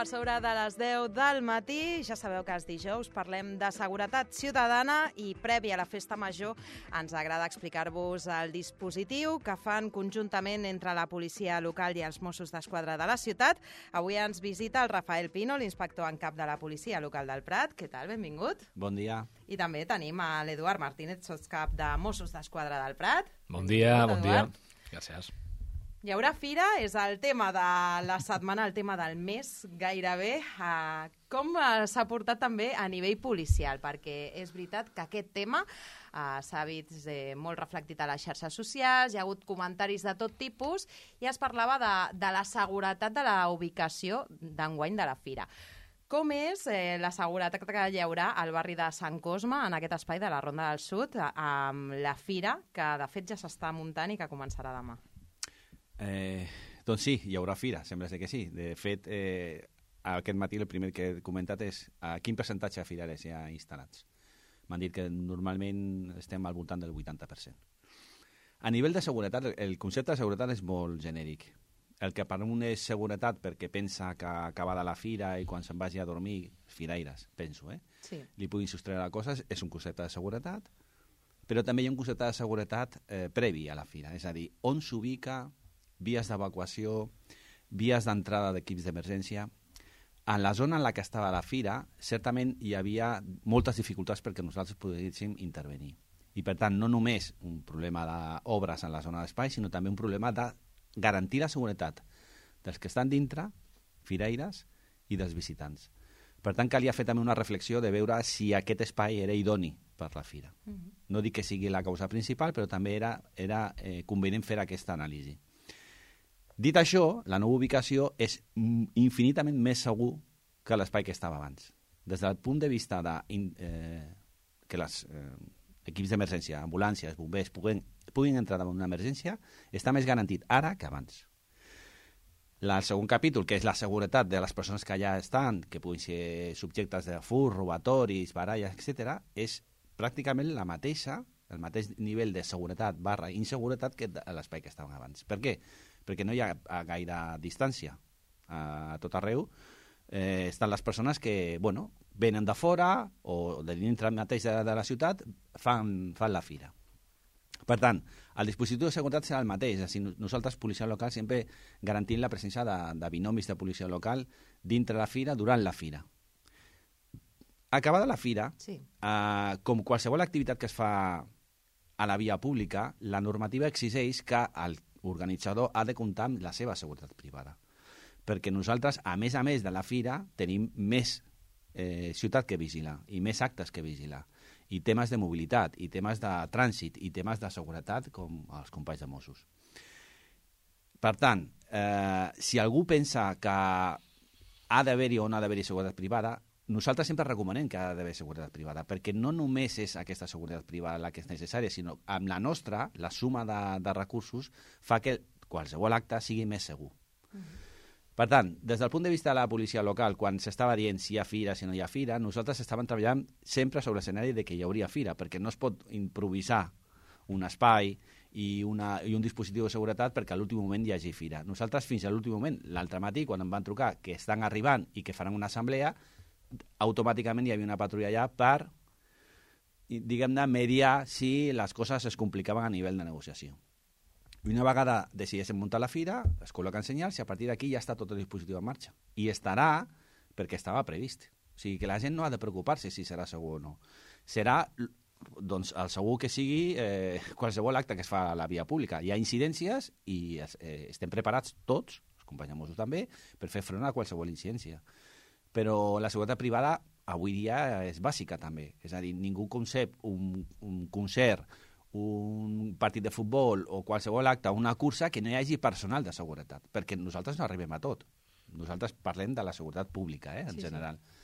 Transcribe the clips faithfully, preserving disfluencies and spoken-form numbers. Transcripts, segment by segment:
per sobre de les deu del matí. Ja sabeu que els dijous parlem de seguretat ciutadana i previ a la festa major ens agrada explicar-vos el dispositiu que fan conjuntament entre la policia local i els Mossos d'Esquadra de la ciutat. Avui ens visita el Rafael Pino, l'inspector en cap de la policia local del Prat. Què tal? Benvingut. Bon dia. I també tenim a l'Eduard Martínez, sotscap de Mossos d'Esquadra del Prat. Bon dia, bon dia. Eduard. Gràcies. Hi haurà fira, és el tema de la setmana, el tema del mes, gairebé. Uh, com uh, s'ha portat també a nivell policial? Perquè és veritat que aquest tema uh, s'ha vist eh, molt reflectit a les xarxes socials, hi ha hagut comentaris de tot tipus i es parlava de, de la seguretat de la ubicació d'enguany de la fira. Com és eh, la seguretat que hi haurà al barri de Sant Cosme, en aquest espai de la Ronda del Sud, amb la fira, que de fet ja s'està muntant i que començarà demà? Eh, doncs sí, hi haurà fira, sembla ser que sí. De fet, eh, aquest matí el primer que he comentat és a quin percentatge de firares hi ha instal·lats. M'han dit que normalment estem al voltant del vuitanta per cent. A nivell de seguretat, el concepte de seguretat és molt genèric. El que per un és seguretat perquè pensa que acabada la fira i quan se'n vagi a dormir, firaires, penso, eh? Sí. Li puguin sostreure coses, és un concepte de seguretat, però també hi ha un concepte de seguretat eh, previ a la fira, és a dir, on s'ubica, vies d'evacuació, vies d'entrada d'equips d'emergència. En la zona en la que estava la fira, certament hi havia moltes dificultats perquè nosaltres poguéssim intervenir. I, per tant, no només un problema d'obres en la zona d'espai, sinó també un problema de garantir la seguretat dels que estan dintre, firaires, i dels visitants. Per tant, calia fer també una reflexió de veure si aquest espai era idoni per la fira. Uh-huh. No dic que sigui la causa principal, però també era, era eh, convenient fer aquesta anàlisi. Dit això, la nova ubicació és infinitament més segur que l'espai que estava abans. Des del punt de vista de eh, que els eh, equips d'emergència, ambulàncies, bombers, puguin, puguin entrar en una emergència, està més garantit ara que abans. La, el segon capítol, que és la seguretat de les persones que allà estan, que puguin ser subjectes de fur, robatoris, baralles, etcètera, és pràcticament la mateixa, el mateix nivell de seguretat barra inseguretat que l'espai que estaven abans. Per què? Perquè no hi ha gaire distància a tot arreu. Eh, estan les persones que, bueno, venen de fora o de dintre mateix de, de la ciutat, fan, fan la fira. Per tant, el dispositiu de seguretat serà el mateix. És a dir, nosaltres, policia local, sempre garantint la presència de, de binomis de policia local dintre la fira, durant la fira. Acabada la fira, sí. eh, com qualsevol activitat que es fa a la via pública, la normativa exigeix que el organitzador ha de comptar amb la seva seguretat privada. Perquè nosaltres, a més a més de la fira, tenim més eh, ciutat que vigilar i més actes que vigilar. I temes de mobilitat, i temes de trànsit, i temes de seguretat, com els companys de Mossos. Per tant, eh, si algú pensa que ha d'haver-hi o no ha d'haver-hi seguretat privada, nosaltres sempre recomanem que ha d'haver seguretat privada, perquè no només és aquesta seguretat privada la que és necessària, sinó amb la nostra, la suma de, de recursos, fa que qualsevol acte sigui més segur. Uh-huh. Per tant, des del punt de vista de la policia local, quan s'estava dient si hi ha fira, si no hi ha fira, nosaltres estàvem treballant sempre sobre l'escenari de que hi hauria fira, perquè no es pot improvisar un espai i, una, i un dispositiu de seguretat perquè a l'últim moment hi hagi fira. Nosaltres fins a l'últim moment, l'altre matí, quan em van trucar que estan arribant i que faran una assemblea, automàticament hi havia una patrulla allà per, diguem-ne, mediar si les coses es complicaven a nivell de negociació. I una vegada decideixen muntar la fira, es col·loquen senyals i a partir d'aquí ja està tot el dispositiu en marxa. I estarà perquè estava previst. O sigui que la gent no ha de preocupar-se si serà segur o no. Serà, doncs, el segur que sigui eh, qualsevol acte que es fa a la via pública. Hi ha incidències i eh, estem preparats tots, els companys de Mossos també, per fer front a qualsevol incidència. Però la seguretat privada avui dia és bàsica també. És a dir, ningú concep un, un concert, un partit de futbol o qualsevol acte, una cursa, que no hi hagi personal de seguretat, perquè nosaltres no arribem a tot. Nosaltres parlem de la seguretat pública, eh, en sí, general. Sí.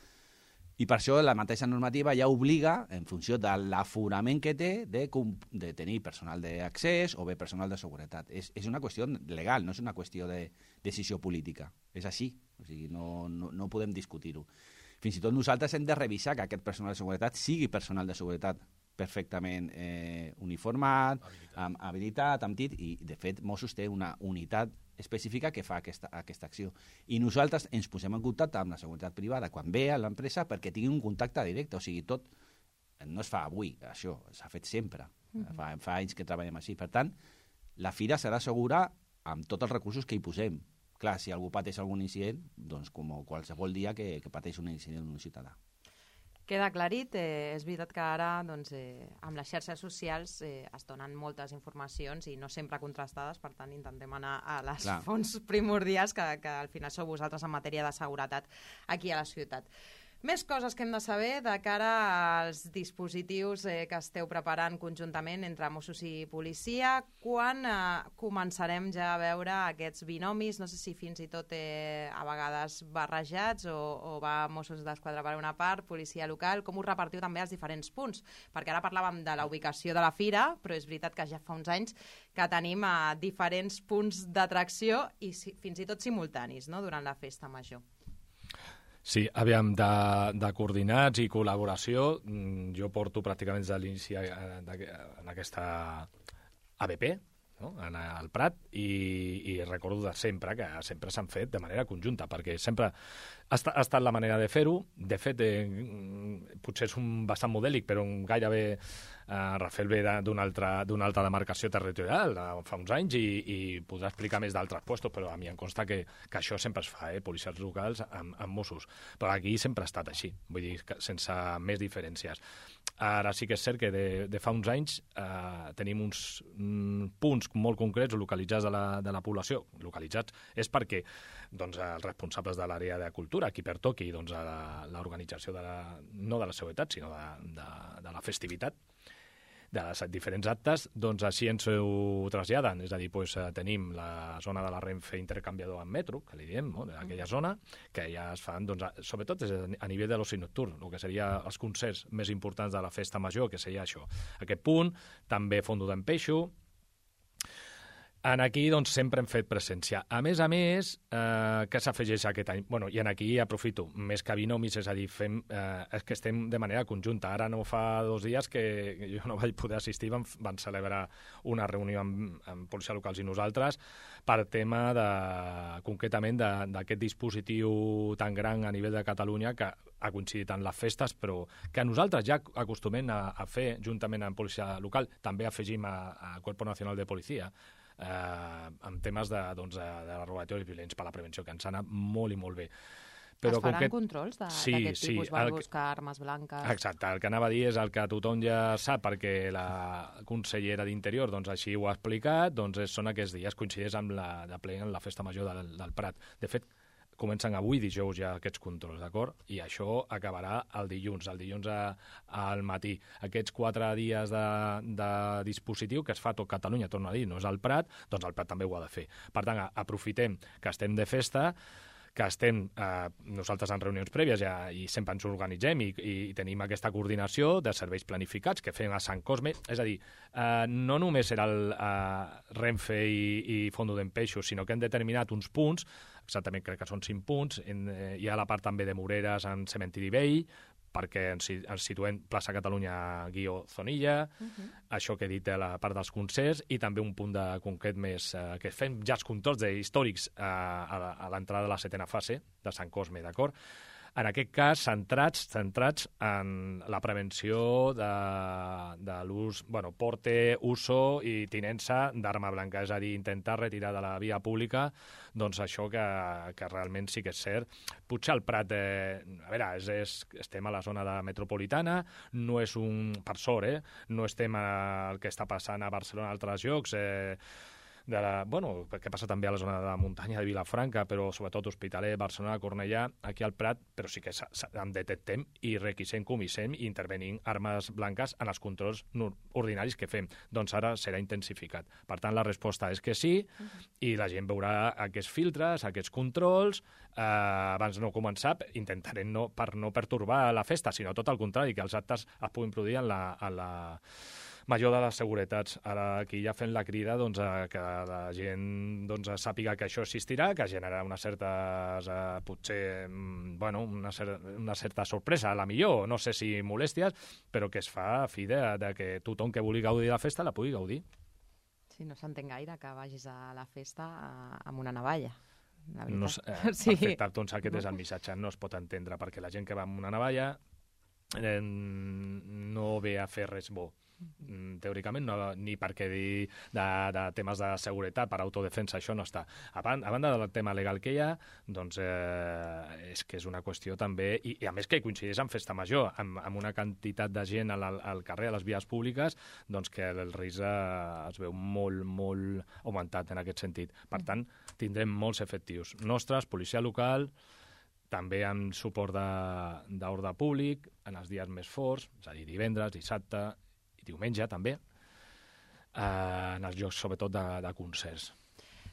I per això la mateixa normativa ja obliga, en funció de l'aforament que té, de, de tenir personal d'accés o bé personal de seguretat. És, és una qüestió legal, no és una qüestió de decisió política. És així, o sigui, no, no, no podem discutir-ho. Fins i tot nosaltres hem de revisar que aquest personal de seguretat sigui personal de seguretat perfectament eh, uniformat, habilitat. Amb habilitat, amb tit, i de fet Mossos té una unitat especifica que fa aquesta, aquesta acció. I nosaltres ens posem en contacte amb la seguretat privada quan ve a l'empresa perquè tingui un contacte directe. O sigui, tot no es fa avui, això s'ha fet sempre. Mm-hmm. Fa, fa anys que treballem així. Per tant, la fira serà segura amb tots els recursos que hi posem. Clar, si algú pateix algun incident, doncs com qualsevol dia que, que pateix un incident un ciutadà. Queda aclarit, eh, és veritat que ara doncs, eh, amb les xarxes socials eh, es donen moltes informacions i no sempre contrastades, per tant intentem anar a les Clar. fonts primordials que, que al final sou vosaltres en matèria de seguretat aquí a la ciutat. Més coses que hem de saber de cara als dispositius eh, que esteu preparant conjuntament entre Mossos i policia. Quan eh, començarem ja a veure aquests binomis? No sé si fins i tot eh, a vegades barrejats o, o va Mossos d'Esquadra per una part, policia local. Com us repartiu també als diferents punts? Perquè ara parlàvem de la ubicació de la fira, però és veritat que ja fa uns anys que tenim eh, diferents punts d'atracció i si, fins i tot simultanis, no?, durant la festa major. Sí, aviam, de, de coordinats i col·laboració, jo porto pràcticament des de l'inici en aquesta A B P, no?, en el Prat, i, i recordo de sempre que sempre s'han fet de manera conjunta, perquè sempre ha estat, ha estat la manera de fer-ho. De fet, eh, potser és un bastant modèlic, però un gairebé Uh, Rafael ve d'una altra, d'una altra demarcació territorial de fa uns anys i, i podrà explicar més d'altres puestos, però a mi em consta que, que això sempre es fa, eh, policies locals amb, amb Mossos. Però aquí sempre ha estat així, vull dir, que sense més diferències. Ara sí que és cert que de, de fa uns anys eh, tenim uns mm, punts molt concrets localitzats de la, de la població. Localitzats és perquè doncs, els responsables de l'àrea de cultura, qui pertoqui doncs, a l'organització de la, no de la seguretat, sinó de, de, de la festivitat, de les diferents actes, doncs així ens ho traslladen. És a dir, doncs, tenim la zona de la Renfe intercanviador amb metro, que li diem, no?, d'aquella zona, que ja es fan, doncs, sobretot a nivell de l'oci nocturn, el que seria els concerts més importants de la festa major, que seria això. Aquest punt, també Fondo d'en Peixo. En aquí, doncs, sempre hem fet presència. A més a més, eh, què s'afegeix aquest any? Bueno, i en aquí aprofito, més que binomis, és a dir, fem, eh, és que estem de manera conjunta. Ara no fa dos dies que jo no vaig poder assistir, van, van celebrar una reunió amb, amb policia locals i nosaltres per tema, de, concretament, d'aquest dispositiu tan gran a nivell de Catalunya que ha coincidit en les festes, però que nosaltres ja acostumem a, a fer, juntament amb policia local, també afegim a, a Cuerpo Nacional de Policia, Eh, amb temes de, doncs, de, de robatoris violents per la prevenció, que ens ha anat molt i molt bé. Però es faran que... controls d'aquest sí, tipus? Sí, van buscar armes blanques? Exacte, el que anava a dir és el que tothom ja sap, perquè la consellera d'Interior doncs, així ho ha explicat, doncs són aquests dies, coincideix amb la de ple en la festa major del, del Prat. De fet, comencen avui, dijous, ja aquests controls, d'acord? I això acabarà el dilluns, el dilluns a, al matí. Aquests quatre dies de, de dispositiu que es fa a tot Catalunya, torno a dir, no és el Prat, doncs el Prat també ho ha de fer. Per tant, aprofitem que estem de festa, que estem eh, nosaltres en reunions prèvies ja, i sempre ens organitzem i, i tenim aquesta coordinació de serveis planificats que fem a Sant Cosme. És a dir, eh, no només era el eh, Renfe i, i Fondo d'en Peixo, sinó que hem determinat uns punts, exactament crec que són cinc punts, en, eh, hi ha la part també de Moreres en Cementiri Vell, perquè ens, ens situem plaça Catalunya guió Zonilla, uh-huh. Això que he dit de la part dels concerts, i també un punt de concret més, eh, que fem ja els controls històrics eh, a, a l'entrada de la setena fase de Sant Cosme, d'acord? En aquest cas, centrats, centrats en la prevenció de, de l'ús, bueno, porte, uso i tinença d'arma blanca, és a dir, intentar retirar de la via pública doncs això que, que realment sí que és cert. Potser el Prat, eh, a veure, és, és, estem a la zona de metropolitana, no és un, per sort, eh, no estem al que està passant a Barcelona en altres llocs, eh, de la, bueno, que passa també a la zona de la muntanya de Vilafranca, però sobretot Hospitalet, Barcelona, Cornellà, aquí al Prat, però sí que en detectem i requisem, comissem i intervenim armes blanques en els controls ordinaris que fem. Doncs ara serà intensificat. Per tant, la resposta és que sí, uh-huh. I la gent veurà aquests filtres, aquests controls, eh, abans no començar, intentarem no, per no pertorbar la festa, sinó tot el contrari, que els actes es puguin produir en la... En la major de les seguretats. Ara aquí ja fent la crida doncs, a que la gent doncs, sàpiga que això existirà, que generarà unes certes, eh, potser, bueno, una, cer una certa sorpresa, a la millor, no sé si molèsties, però que es fa a fi de, de que tothom que vulgui gaudir de la festa la pugui gaudir. Sí, no s'entén gaire que vagis a la festa eh, amb una navalla. No, eh, sí. Perfecte, doncs aquest no. és el missatge. No es pot entendre, perquè la gent que va amb una navalla eh, no ve a fer res bo. Teòricament, no, ni perquè dir de, de temes de seguretat per autodefensa, això no està. A, ban a banda del tema legal que hi ha, doncs eh, és que és una qüestió també, i, i a més que coincideix amb festa major, amb, amb una quantitat de gent al, al carrer, a les vies públiques, doncs que el risc eh, es veu molt, molt augmentat en aquest sentit. Per tant, tindrem molts efectius nostres, policia local, també amb suport d'ordre públic, en els dies més forts, és a dir, divendres, dissabte, diumenge també, eh, en els jocs sobretot de, de concerts.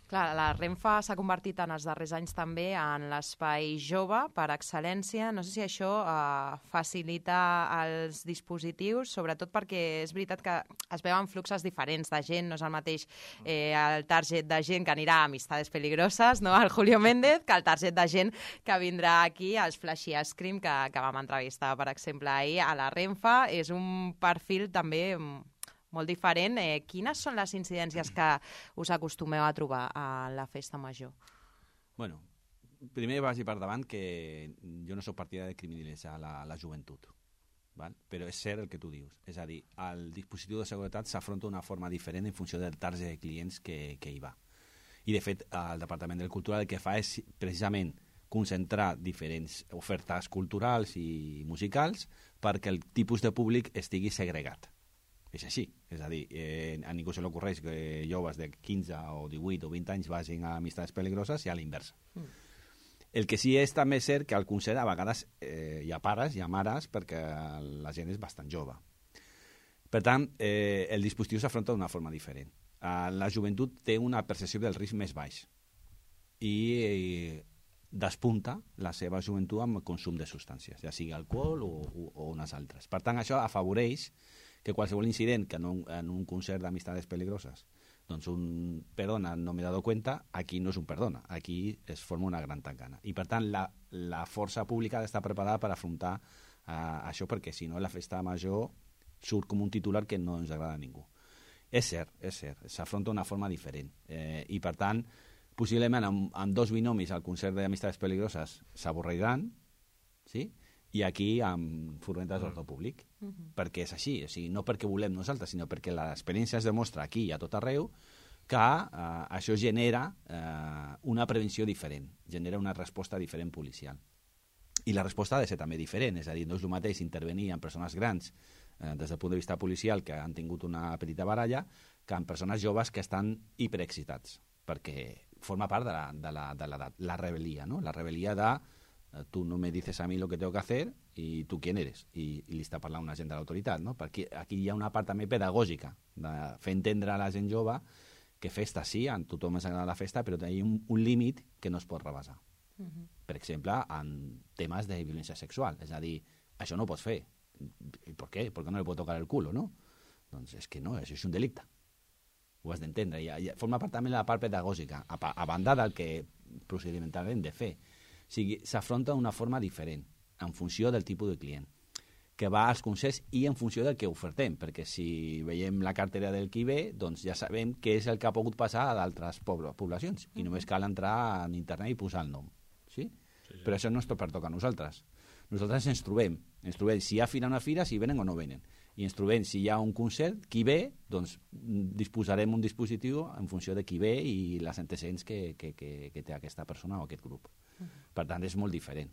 Clar, la Renfa s'ha convertit en els darrers anys també en l'espai jove per excel·lència. No sé si això eh, facilita els dispositius, sobretot perquè és veritat que es veuen fluxes diferents de gent, no és el mateix eh, el target de gent que anirà a Amistades Peligroses, no?, al Julio Méndez, que el target de gent que vindrà aquí als Flashy Ice Cream, que, que vam entrevistar, per exemple, ahir a la Renfa. És un perfil també molt diferent. Eh, quines són les incidències que us acostumeu a trobar a la festa major? Bueno, primer vagi per davant que jo no soc partidari de criminalitzar la, la joventut, val? Però és cert el que tu dius. És a dir, el dispositiu de seguretat s'afronta d'una forma diferent en funció del target de clients que, que hi va. I, de fet, el Departament del Cultural el que fa és precisament concentrar diferents ofertes culturals i musicals perquè el tipus de públic estigui segregat. És així, és a dir, eh, a ningú se li ocorreix que joves de quinze o divuit o vint anys vagin a Amistades Peligroses i a l'inversa. Mm. El que sí és també cert que al concert a vegades eh, hi ha pares, hi ha mares, perquè la gent és bastant jove. Per tant, eh, el dispositiu s'afronta d'una forma diferent. Eh, la joventut té una percepció del risc més baix i eh, despunta la seva joventut amb el consum de substàncies, ja sigui alcohol o, o, o unes altres. Per tant, això afavoreix que qualsevol incident que en un, en un concert d'Amistades Peligroses doncs un perdona, no m'he dado cuenta, aquí no és un perdona, aquí es forma una gran tancana. I per tant la, la força pública ha d'estar preparada per afrontar uh, això, perquè si no la festa major surt com un titular que no ens agrada a ningú. És cert, és cert, s'afronta d'una forma diferent eh, i per tant possiblement amb, amb dos binomis al concert d'Amistades Peligroses s'avorreiran, sí?, i aquí amb furgonetes d'ordre públic, uh -huh. perquè és així, o sigui, no perquè volem nosaltres, sinó perquè l'experiència es demostra aquí i a tot arreu que eh, això genera eh, una prevenció diferent, genera una resposta diferent policial. I la resposta ha de ser també diferent, és a dir, no és el mateix intervenir en persones grans eh, des del punt de vista policial que han tingut una petita baralla que en persones joves que estan hiperexcitats, perquè forma part de la, de la, de la, la rebel·lia, no? La rebel·lia de tú no me dices a mí lo que tengo que hacer y tú quién eres, i, i li està parlant una gent de l'autoritat, no? Perquè aquí hi ha una part també pedagògica de fer entendre a la gent jove que festa sí, a tothom ens agrada la festa, però té un, un límit que no es pot rebassar. Uh -huh. Per exemple, en temes de violència sexual, és a dir, això no ho pots fer. I per què? Perquè no li pot tocar el culo, no? Doncs és que no, això és un delicte. Ho has d'entendre. I, i forma part també de la part pedagògica, a, a banda del que procedimentalment hem de fer. O sigui, s'afronta d'una forma diferent, en funció del tipus de client, que va als concerts i en funció del que ofertem, perquè si veiem la cartera del qui ve, doncs ja sabem què és el que ha pogut passar a d'altres poblacions, i només cal entrar en internet i posar el nom. Sí? Sí, sí. Però això no és tot per tocar a nosaltres. Nosaltres ens trobem, ens trobem si hi ha fira o no fira, si venen o no venen. I ens trobem si hi ha un concert, qui ve, doncs disposarem un dispositiu en funció de qui ve i les antecedents que, que, que, que té aquesta persona o aquest grup. Uh-huh. Per tant, és molt diferent.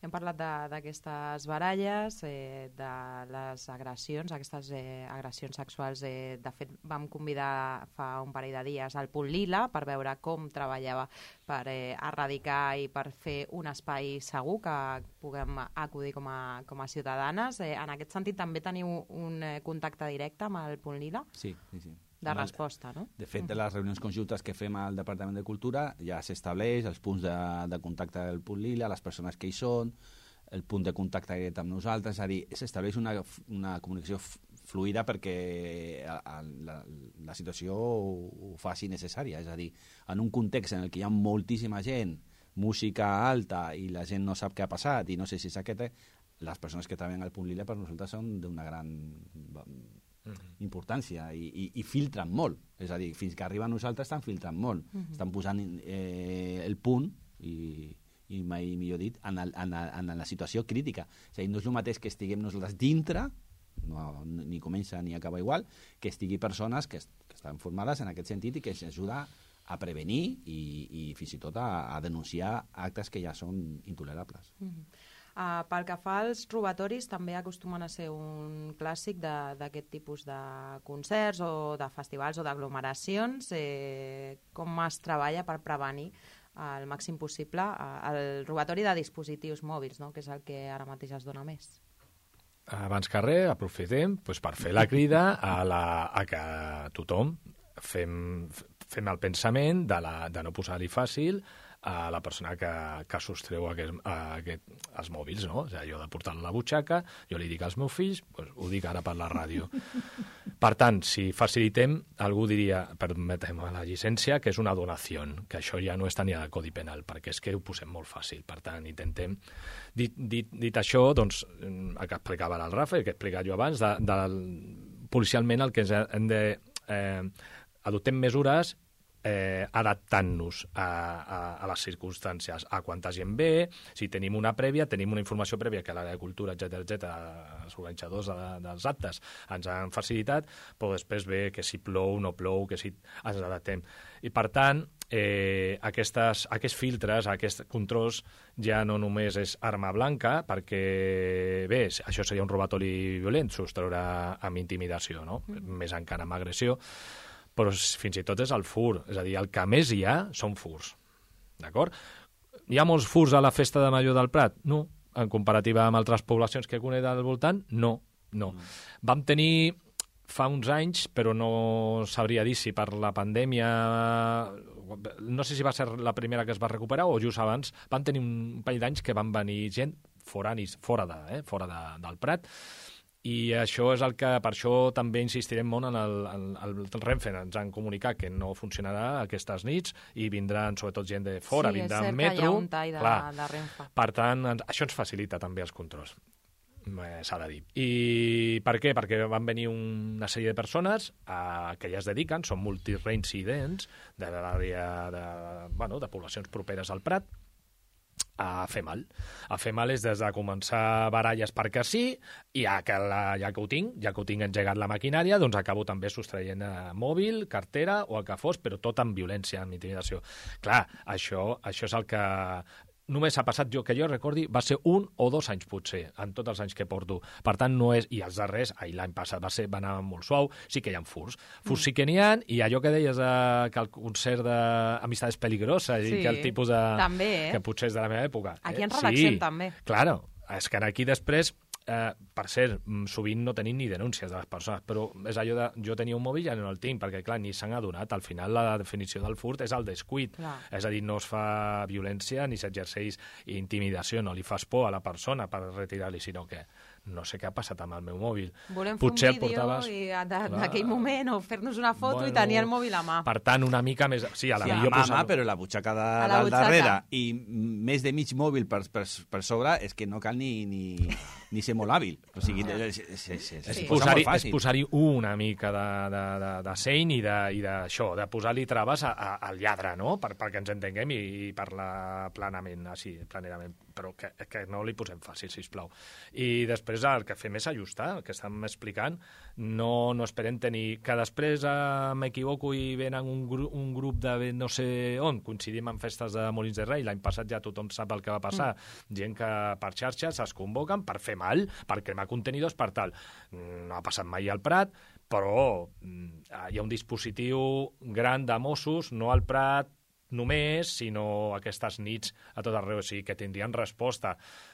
Hem parlat d'aquestes baralles, eh, de les agressions, aquestes eh, agressions sexuals. Eh, de fet, vam convidar fa un parell de dies al Punt Lila per veure com treballava per eh, erradicar i per fer un espai segur que puguem acudir com a, com a ciutadanes. Eh, en aquest sentit, també teniu un eh, contacte directe amb el Punt Lila? Sí, sí, sí. De resposta, no? De fet, de les reunions conjuntes que fem al Departament de Cultura ja s'estableix els punts de, de contacte del Punt Lila, les persones que hi són, el punt de contacte que amb nosaltres, és a dir, s'estableix una, una comunicació fluida perquè a, a, la, la situació ho, ho faci necessària, és a dir, en un context en el que hi ha moltíssima gent, música alta i la gent no sap què ha passat i no sé si és aquest, les persones que treballen al Punt Lila per nosaltres són d'una gran mm-hmm. importància i, i, i filtren molt. És a dir, fins que arriba a nosaltres estan filtrant molt. Mm-hmm. Estan posant eh, el punt i, i mai millor dit, en, el, en, el, en la situació crítica. És a dir, no és el mateix que estiguem nosaltres dintre, no, ni comença ni acaba igual, que estigui persones que, que estan formades en aquest sentit i que ens ajuda a prevenir i, i fins i tot a, a denunciar actes que ja són intolerables. Mm-hmm. Uh, pel que fa als robatoris, també acostumen a ser un clàssic d'aquest tipus de concerts o de festivals o d'aglomeracions. Eh, com es treballa per prevenir al màxim possible uh, el robatori de dispositius mòbils, no? Que és el que ara mateix es dona més? Abans que res, aprofitem doncs, per fer la crida a, la, a que tothom fem, fem el pensament de, la, de no posar-li fàcil a la persona que, que sostreu aquest, aquest, els mòbils, no? O sigui, jo de portar-lo a la butxaca, jo li dic als meus fills, doncs ho dic ara per la ràdio. Per tant, si facilitem, algú diria, permetem la llicència, que és una donació, que això ja no està ni al Codi Penal, perquè és que ho posem molt fàcil. Per tant, intentem... Dit, dit, dit això, doncs, el que explicava el Rafa, el que he explicat jo abans, de, de, policialment el que hem de... Eh, adoptem mesures Eh, adaptant-nos a, a, a les circumstàncies, a quanta gent ve, si tenim una prèvia, tenim una informació prèvia que l'àrea de cultura, etcètera, etcètera, els organitzadors de, dels actes ens han facilitat, però després ve que si plou, no plou, que si ens adaptem. I per tant, eh, aquestes, aquests filtres, aquests controls, ja no només és arma blanca, perquè, bé, això seria un robatori violent, sostreure amb intimidació, no? Mm. Més encara amb agressió, però fins i tot és el fur. És a dir, el que més hi ha són furs. D'acord? Hi ha molts furs a la festa de Major del Prat? No. En comparativa amb altres poblacions que conec al voltant? No. no. Mm. Vam tenir fa uns anys, però no sabria dir si per la pandèmia... No sé si va ser la primera que es va recuperar o just abans. Vam tenir un parell d'anys que van venir gent foranis, fora, de, eh, fora de, del Prat, i això és el que, per això també insistirem molt en el, el, el Renfe. Ens han comunicat que no funcionarà aquestes nits i vindran sobretot gent de fora, sí, vindran metro. Sí, és cert metro, que hi ha un tall de, clar. de Renfe. Per tant, ens, això ens facilita també els controls, eh, s'ha de dir. I per què? Perquè van venir una sèrie de persones a, que ja es dediquen, són multireincidents de l'àrea de, bueno, de poblacions properes al Prat, a fer mal. A fer mal és des de començar baralles perquè sí, i ja que, la, ja que ho tinc, ja que ho tinc engegat la maquinària, doncs acabo també sostraient eh, mòbil, cartera o el que fos, però tot amb violència, amb intimidació. Clar, això, això és el que... Només ha passat, jo que jo recordi, va ser un o dos anys potser, en tots els anys que porto. Per tant, no és... I els darrers, ahir l'any passat va, ser, va anar molt suau, sí que hi ha furs. Furs mm. sí que n'hi ha, i allò que deies eh, que el concert d'Amistades Peligroses, sí. i que el tipus de... També, eh? Que potser és de la meva època. Aquí eh? ens relaxem, sí, també. Claro, és que aquí després... Eh, per cert, sovint no tenim ni denúncies de les persones, però és allò de jo tenia un mòbil i ja no el tinc, perquè clar, ni s'han adonat. Al final la definició del furt és el descuit, clar. És a dir, no es fa violència ni s'exerceix intimidació, no li fas por a la persona per retirar-li, sinó que no sé què ha passat amb el meu mòbil. Volem Potser fer un vídeo portaves... i d'aquell moment o fer-nos una foto bueno, i tenir el mòbil a mà. Per tant, una mica més... Sí, a la sí, millor a mà, posar... però la butxaca de, la del butxaca. darrere i més de mig mòbil per, per, per sobre és que no cal ni, ni, ni ser molt hàbil. O sigui, ah. és, és, és, és, és sí. posar-hi posar una mica de, de, de, de seny i d'això, de, de posar-li traves a, a, al lladre, no? Per, perquè ens entenguem i, i parlar planament, així, planerament, però que, que no li posem fàcil, sisplau. I després el que fem és ajustar, el que estem explicant, no, no esperem tenir... Que després eh, m'equivoco i venen un, gru, un grup de no sé on, coincidim en festes de Molins de Rei, l'any passat ja tothom sap el que va passar, mm. gent que per xarxes es convoquen per fer mal, per cremar contenidors, per tal. No ha passat mai al Prat, però hi ha un dispositiu gran de Mossos, no al Prat, només, sinó aquestes nits a tot arreu, o sigui, que tindrien resposta.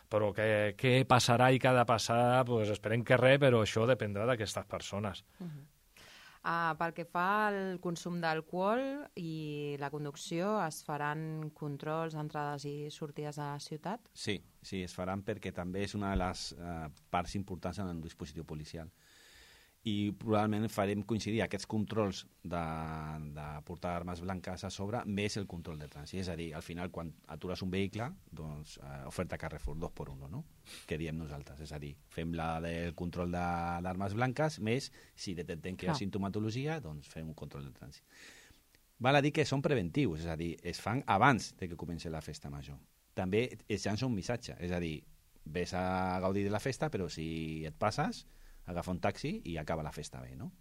Però què, què passarà i què ha de passar? Pues esperem que res, però això dependrà d'aquestes persones. Uh-huh. Uh, pel que fa al consum d'alcohol i la conducció, es faran controls d'entrades i sortides de la ciutat? Sí, sí, es faran perquè també és una de les uh, parts importants en el dispositiu policial. i probablement farem coincidir aquests controls de, de portar armes blanques a sobre més el control de trànsit. És a dir, al final, quan atures un vehicle, doncs, eh, oferta Carrefour, dos per uno, no? Que diem nosaltres. És a dir, fem la del control d'armes blanques, més, si detectem que hi ha sintomatologia, doncs fem un control de trànsit. Val a dir que són preventius, és a dir, es fan abans de que comenci la festa major. També es llança un missatge, és a dir, ves a gaudir de la festa, però si et passes, agafa un taxi i acaba la festa bé, no?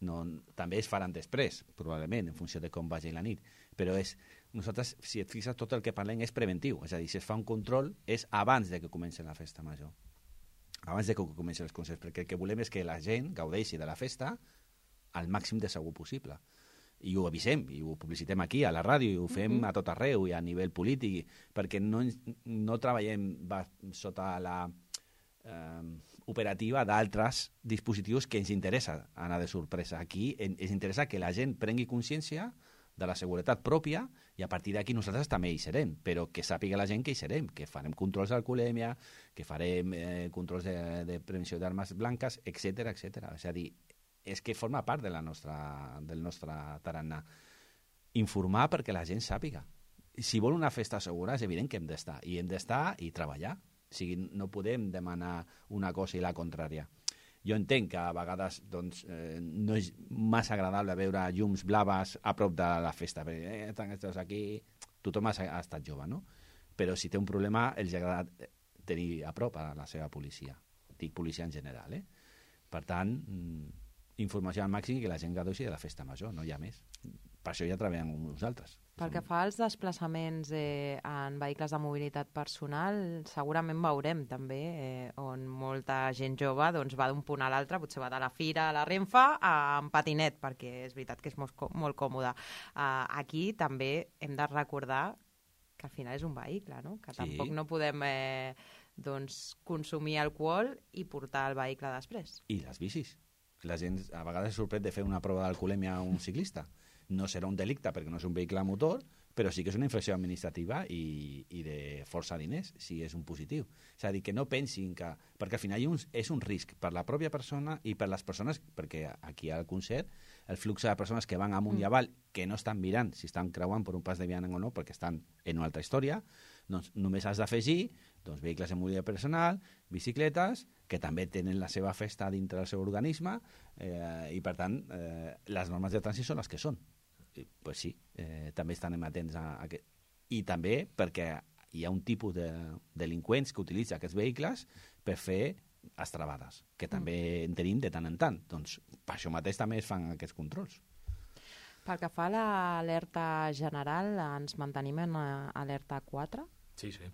No, també es faran després, probablement, en funció de com vagi la nit. Però és, nosaltres, si et fixes, tot el que parlem és preventiu. És a dir, si es fa un control, és abans de que comenci la festa major. Abans de que comenci els concerts, perquè el que volem és que la gent gaudeixi de la festa al màxim de segur possible. I ho avisem, i ho publicitem aquí, a la ràdio, i ho fem uh-huh. a tot arreu, i a nivell polític, perquè no, no treballem sota la eh, operativa d'altres dispositius que ens interessa anar de sorpresa. Aquí ens interessa que la gent prengui consciència de la seguretat pròpia i a partir d'aquí nosaltres també hi serem, però que sàpiga la gent que hi serem, que farem controls d'alcoholèmia, que farem eh, controls de, de prevenció d'armes blanques, etcètera, etcètera. És a dir, és que forma part de la nostra, del nostre tarannà. Informar perquè la gent sàpiga. Si vol una festa segura, és evident que hem d'estar. I hem d'estar i treballar. O sigui, no podem demanar una cosa i la contrària. Jo entenc que a vegades doncs, eh, no és massa agradable veure llums blaves a prop de la festa. Perquè, eh, tant estàs aquí... Tothom ha, ha estat jove, no? Però si té un problema, els agrada tenir a prop a la seva policia. Dic policia en general, eh? Per tant, informació al màxim i que la gent gaudeixi de la festa major, no hi ha més. Per això ja treballem amb nosaltres. Pel que fa als desplaçaments eh, en vehicles de mobilitat personal, segurament veurem també eh, on molta gent jove doncs, va d'un punt a l'altre, potser va de la Fira a la Renfe amb patinet, perquè és veritat que és molt, molt còmode. Uh, aquí també hem de recordar que al final és un vehicle, no? Que sí. Tampoc no podem eh, doncs, consumir alcohol i portar el vehicle després. I les bicis. La gent a vegades es sorprèn de fer una prova d'alcoholèmia a un ciclista. No serà un delicte perquè no és un vehicle a motor, però sí que és una infracció administrativa i, i de força diners, si és un positiu. És a dir, que no pensin que... Perquè al final és un risc per la pròpia persona i per les persones, perquè aquí al concert el flux de persones que van amunt i avall, que no estan mirant si estan creuant per un pas de vianant o no, perquè estan en una altra història, doncs només has d'afegir doncs, vehicles de mobilitat personal, bicicletes, que també tenen la seva festa dintre del seu organisme, eh, i per tant eh, les normes de trànsit són les que són. I, pues sí, eh, també estan atents a, a aquest... I també perquè hi ha un tipus de delinqüents que utilitza aquests vehicles per fer extravades, que també en tenim de tant en tant. Doncs per això mateix també es fan aquests controls. Pel que fa a l'alerta general, ens mantenim en alerta quatre? Sí, sí.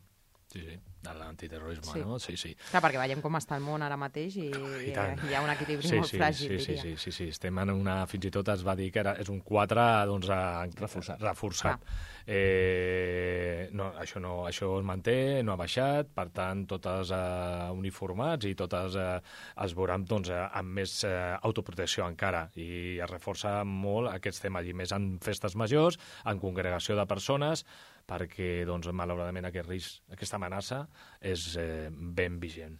Sí, sí, de l'antiterrorisme, sí. no? Sí, sí. Clar, perquè veiem com està el món ara mateix i, i hi ha un equilibri sí, molt sí, fràgil, sí, diria. Sí, sí, sí, estem en una... Fins i tot es va dir que era, és un quatre doncs, reforçat. reforçat. Eh, no, això, no, això es manté, no ha baixat, per tant, totes eh, uniformats i totes eh, es veuran doncs, eh, amb més eh, autoprotecció encara i es reforça molt aquests temes, i més en festes majors, en congregació de persones, perquè, doncs, malauradament, aquest risc, aquesta amenaça és eh, ben vigent.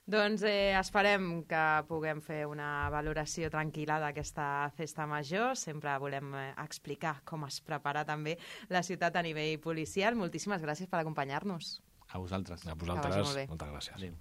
Doncs eh, esperem que puguem fer una valoració tranquil·la d'aquesta festa major. Sempre volem eh, explicar com es prepara també la ciutat a nivell policial. Moltíssimes gràcies per acompanyar-nos. A vosaltres. A vosaltres, moltes gràcies. Adéu.